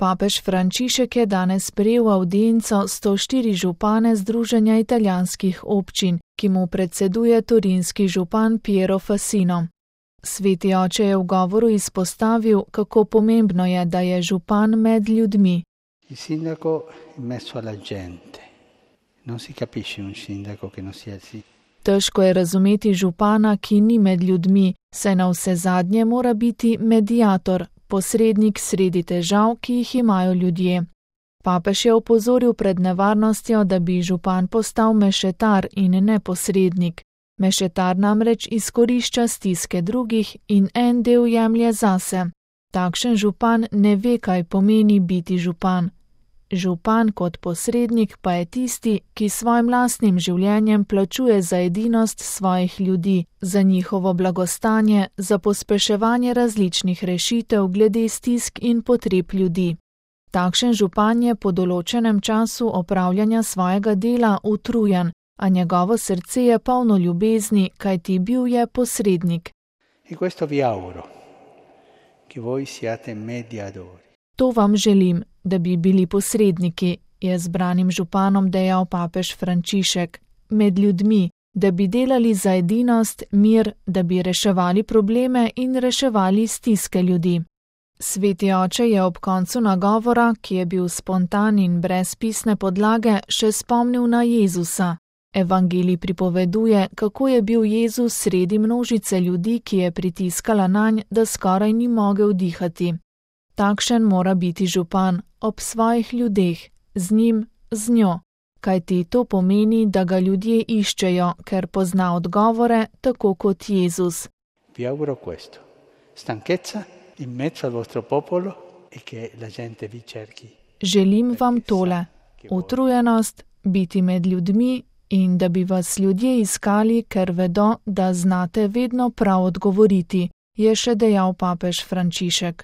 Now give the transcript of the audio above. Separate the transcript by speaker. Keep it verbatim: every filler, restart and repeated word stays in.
Speaker 1: Papež Frančišek je danes sprejel avdienco sto štiri župane Združenja italijanskih občin, ki mu predseduje torinski župan Piero Fassino. Sveti oče je v govoru izpostavil, kako pomembno je, da je župan med ljudmi.
Speaker 2: Il sindaco in mezzo alla gente. Non si capisce un sindaco che non sia sì.
Speaker 1: Težko je razumeti župana, ki ni med ljudmi, saj na vse zadnje mora biti mediator, posrednik sredi težav, ki jih imajo ljudje. Papež je opozoril pred nevarnostjo, da bi župan postal mešetar in ne posrednik. Mešetar namreč izkorišča stiske drugih in en del jemlje zase. Takšen župan ne ve, kaj pomeni biti župan. Župan kot posrednik pa je tisti, ki svojim lastnim življenjem plačuje za edinost svojih ljudi, za njihovo blagostanje, za pospeševanje različnih rešitev glede stisk in potreb ljudi. Takšen župan je po določenem času opravljanja svojega dela utrujen, a njegovo srce je polno ljubezni, kajti bil je posrednik.
Speaker 2: In questo vi auguro, che voi siate mediatori.
Speaker 1: To vam želim, da bi bili posredniki, je zbranim županom dejal papež Frančišek, med ljudmi, da bi delali za edinost, mir, da bi reševali probleme in reševali stiske ljudi. Sveti oče je ob koncu nagovora, ki je bil spontan in brez pisne podlage, še spomnil na Jezusa. Evangelij pripoveduje, kako je bil Jezus sredi množice ljudi, ki je pritiskala nanj, da skoraj ni mogel dihati. Takšen mora biti župan ob svojih ljudeh, z njim, z njo, kajti to pomeni, da ga ljudje iščejo, ker pozna odgovore, tako kot Jezus.
Speaker 2: Vi auguro questo. Stanchezza in mezzo al vostro popolo e che la gente vi cerchi.
Speaker 1: Želim vam tole, utrujenost, biti med ljudmi in da bi vas ljudje iskali, ker vedo, da znate vedno prav odgovoriti, je še dejal papež Frančišek.